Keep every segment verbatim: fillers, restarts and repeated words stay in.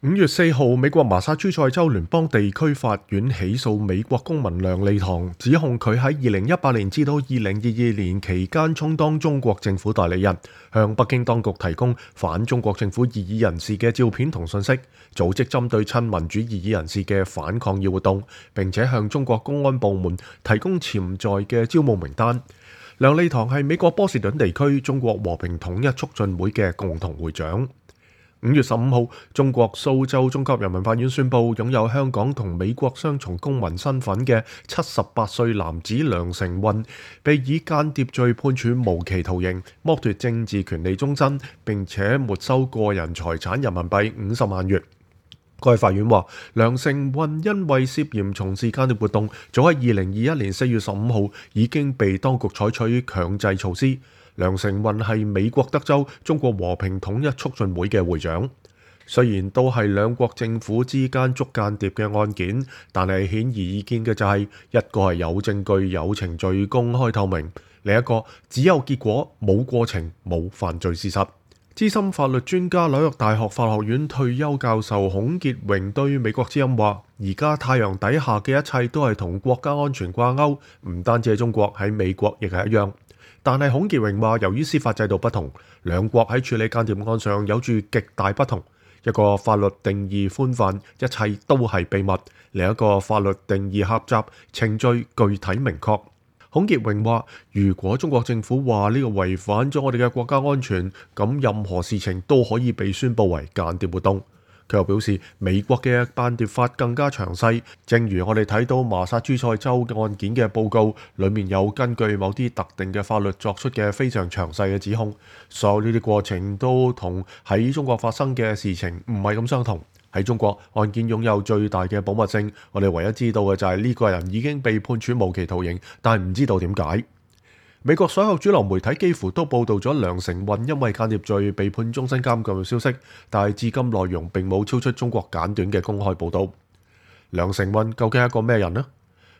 五月四號，美國麻薩諸塞州聯邦地區法院起訴美國公民梁利堂，指控佢喺二零一八年至到二零二二年期間充當中國政府代理人，向北京當局提供反中國政府異議人士嘅照片同信息，組織針對親民主異議人士嘅反抗議活動，並且向中國公安部門提供潛在嘅招募名單。梁利堂係美國波士頓地區中國和平統一促進會嘅共同會長。五月十五號，中國蘇州中級人民法院宣布，擁有香港同美國雙重公民身份嘅七十八歲男子梁成運，被以間諜罪判處無期徒刑，剝奪政治權利終身，並且沒收個人財產人民幣五十萬元。該法院話，梁成運因為涉嫌從事間諜活動，早喺二零二一年四月十五號已經被當局採取強制措施。梁成運係美國德州中國和平統一促進會嘅會長。雖然都係兩國政府之間捉間諜嘅案件，但係顯而易見嘅就係、是、一個係有證據、有程序、公開透明，另一個只有結果冇過程、冇犯罪事實。資深法律專家、紐約大學法學院退休教授孔傑榮對美國之音話：而家太陽底下嘅一切都係同國家安全掛鈎，唔單止係中國，喺美國亦係一樣。但係孔傑榮話，由於司法制度不同，兩國喺處理間諜案上有住極大不同。一個法律定義寬泛，一切都係秘密；另一個法律定義狹窄，程序具體明確。孔傑榮話，如果中國政府話呢個違反咗我哋嘅國家安全，咁任何事情都可以被宣佈為間諜活動。佢又表示，美國嘅間諜法更加詳細，正如我哋睇到麻薩諸塞州案件嘅報告，裡面有根據某啲特定嘅法律作出嘅非常詳細嘅指控。所有呢啲過程都同喺中國發生嘅事情唔係咁相同。喺中國，案件擁有最大嘅保密性，我哋唯一知道嘅就係呢個人已經被判處無期徒刑，但係唔知道點解。美國所有主流媒體幾乎都報導咗梁成運因為間諜罪被判終身監禁嘅消息，但係至今內容並冇超出中國簡短嘅公開報導。梁成運究竟係一個咩人呢？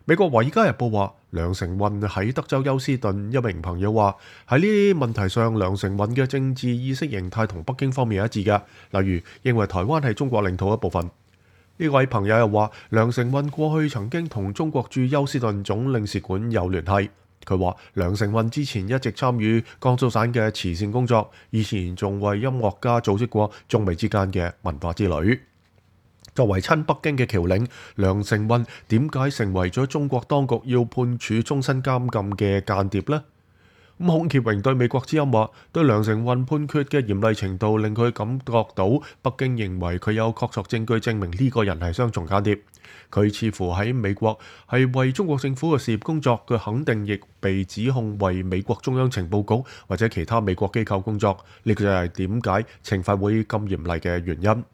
美國《華爾街日報》話，梁成運喺德州休斯頓一名朋友話，喺呢啲問題上，梁成運嘅政治意識形態同北京方面係一致嘅，例如認為台灣係中國領土一部分。呢位朋友又話，梁成運過去曾經同中國駐休斯頓總領事館有聯繫。佢話梁成運之前一直參與江蘇省嘅慈善工作，以前仲為音樂家組織過中美之間嘅文化之旅。作為親北京嘅僑領，梁成運點解成為咗中國當局要判處終身監禁嘅間諜呢？咁孔傑榮對美國之音話，對梁成運判決嘅嚴厲程度令佢感覺到北京認為佢有確鑿證據證明呢個人係雙重間諜。佢似乎喺美國係為中國政府嘅事業工作，佢肯定亦被指控為美國中央情報局或者其他美國機構工作。呢個就係點解懲罰會咁嚴厲嘅原因。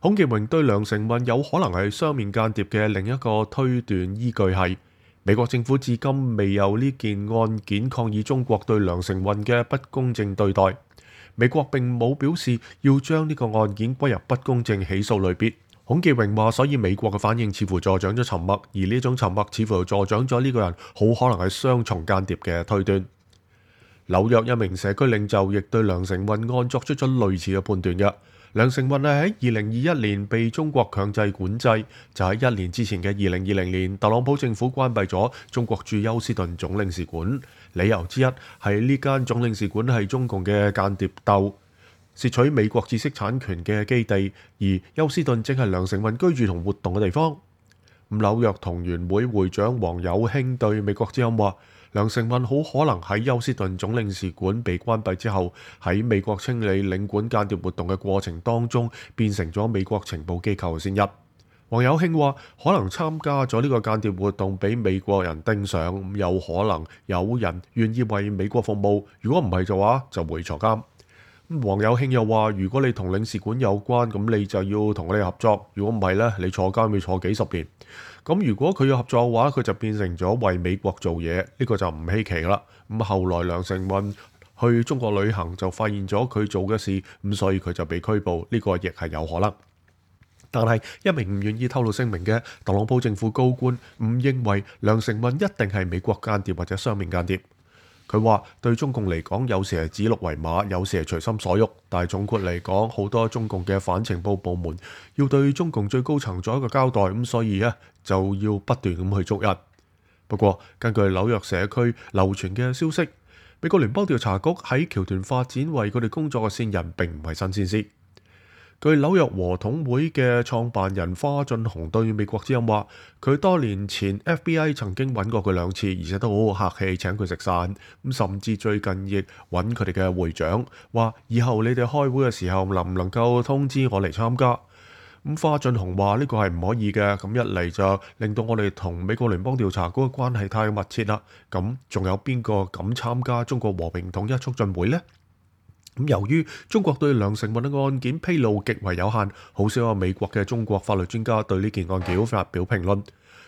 孔傑榮對梁成運有可能係雙面間諜嘅另一個推斷依據係，美國政府至今未有呢件案件抗議中國對梁成運嘅不公正對待。美國並冇表示要將呢個案件歸入不公正起訴類別。孔傑榮話，所以美國嘅反應似乎助長咗沉默，而呢種沉默似乎助長咗呢個人好可能係雙重間諜嘅推斷。紐約一名社區領袖亦對梁成運案作出咗類似嘅判斷嘅。梁成運係喺二零二一年被中國強制管制，就喺一年之前嘅二零二零年，特朗普政府關閉咗中國駐休斯頓總領事館，理由之一係呢間總領事館係中共嘅間諜竇，竊取美國知識產權嘅基地，而休斯頓正係梁成運居住同活動嘅地方。紐約同源會會長黃有興對美國之音話，梁成運好可能喺休斯頓總領事館被關閉之後，喺美國清理領館間諜活動嘅過程當中，變成咗美國情報機構嘅先一。黃有興話，可能參加咗呢個間諜活動俾美國人盯上，有可能有人願意為美國服務，如果唔係嘅話，就會坐監。黃有興又話，如果你同領事館有關，咁你就要同佢哋合作，如果唔係呢，你坐監要坐幾十年。咁如果佢要合作嘅話，佢就變成咗為美國做嘢，呢個就唔稀奇啦。咁後來梁成運去中國旅行，就發現咗佢做嘅事，咁所以佢就被拘捕，呢個亦係有可能。但係一名唔願意透露姓名嘅特朗普政府高官唔認為梁成運一定係美國間諜或者雙面間諜。佢話對中共嚟講，有時係指鹿為馬，有時係隨心所欲。但係總括嚟講，好多中共嘅反情報部門要對中共最高層作一個交代，咁所以咧就要不斷咁去捉人。不過根據紐約社區流傳嘅消息，美國聯邦調查局喺僑團發展為佢哋工作嘅線人並唔係新鮮事。據紐約和統會嘅創辦人花俊雄對美國之音話，佢多年前 F B I 曾經揾過佢兩次，而且都好客氣請佢食飯，咁甚至最近亦揾佢哋嘅會長，話以後你哋開會嘅時候能唔能夠通知我嚟參加。咁花俊雄話呢個係唔可以嘅，咁一嚟就令到我哋同美國聯邦調查局嘅關係太密切啦。咁仲有邊個敢參加中國和平統一促進會呢？咁由於中國對梁成運嘅案件披露極為有限，好少有美國嘅中國法律專家對呢件案件發表評論。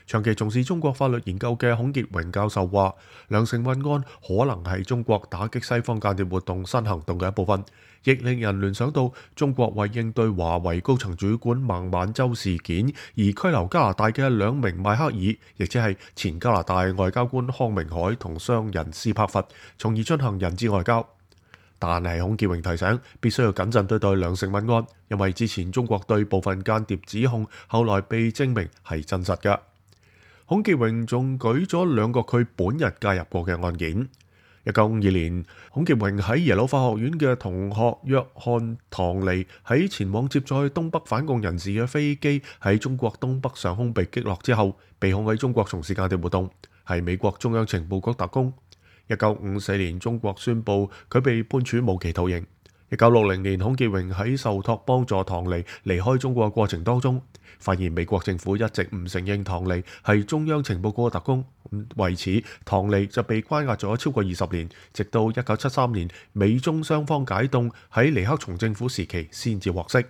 長期從事中國法律研究嘅孔傑榮教授話，梁成運案可能係中國打擊西方間諜活動新行動嘅一部分，亦令人聯想到中國為應對華為高層主管孟晚舟事件而拘留加拿大嘅兩名邁克爾，亦即係前加拿大外交官康明凱同商人斯帕弗，從而進行人質外交。但係孔傑榮提醒，必須要謹慎對待梁成運案，因為之前中國對部分間諜指控，後來被證明係真實嘅。孔傑榮仲舉咗兩個佢本人介入過嘅案件。一九五二年，孔傑榮喺耶魯法學院嘅同學約翰唐尼喺前往接載東北反共人士嘅飛機喺中國東北上空被擊落之後，被控喺中國從事間諜活動，係美國中央情報局特工。一九五四年，中國宣布佢被判處無期徒刑。一九六零年，孔傑榮喺受託幫助唐尼離開中國嘅過程當中，發現美國政府一直唔承認唐尼係中央情報局嘅特工，為此唐尼就被關押咗超過二十年，直到一九七三年美中雙方解凍，喺尼克松政府時期先至獲釋。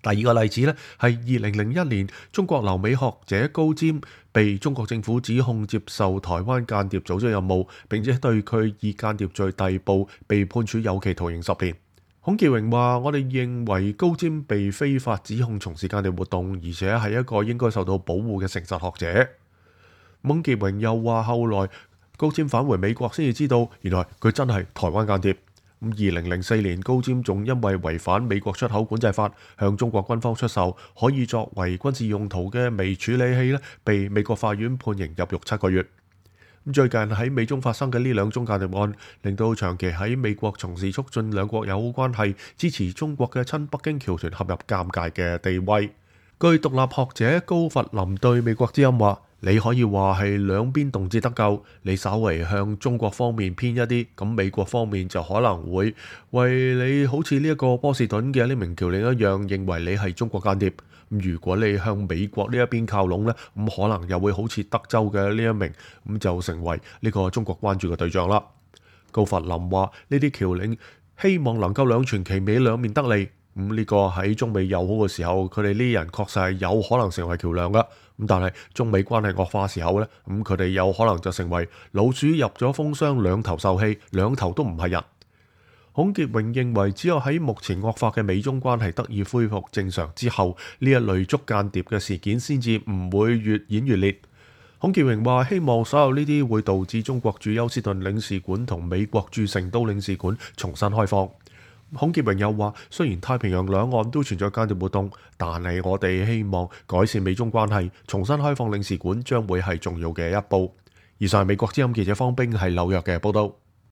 第二個例子呢，係二零零一年，中國留美學者高瞻被中國政府指控接受台灣間諜組織任務，並且對佢以間諜罪逮捕，被判處有期徒刑十年。孔傑榮話：我哋認為高瞻被非法指控從事間諜活動，而且係一個應該受到保護嘅誠實學者。孔傑榮又話：後來高瞻返回美國先至知道，原來佢真係台灣間諜。咁二零零四年，高瞻仲因為違反美國出口管制法，向中國軍方出售可以作為軍事用途嘅微處理器咧，被美國法院判刑入獄七個月。咁最近喺美中發生嘅呢兩宗間諜案，令到長期喺美國從事促進兩國友好關係、支持中國嘅親北京僑團陷入尷尬嘅地位。據獨立學者高弗林對美國之音話：你可以話係兩邊動輒得咎，你稍微向中國方面偏一啲，咁美國方面就可能會為你好似呢一個波士頓嘅呢名僑領一樣，認為你係中國間諜。如果你向美國呢一邊靠攏呢，咁可能又會好似德州嘅呢一名，咁就成為呢個中國關注嘅對象啦。高弗林話：呢啲僑領希望能夠兩全其美，兩面得利。咁呢個喺中美友好嘅時候，佢哋呢啲人確實係有可能成為橋梁噶。咁但係中美關係惡化時候呢，咁佢哋有可能就成為老鼠入咗蜂箱，兩頭受氣，兩頭都唔係人。孔傑榮認為，只有喺目前惡化嘅美中關係得以恢復正常之後，呢一類捉間諜嘅事件先至唔會越演越烈。孔傑榮話：希望所有呢啲會導致中國駐休斯頓領事館同美國駐成都領事館重新開放。孔傑榮又話：雖然太平洋兩岸都存在間諜活動，但係我哋希望改善美中關係，重新開放領事館將會係重要嘅一步。以上係美國之音記者方冰喺紐約嘅報道。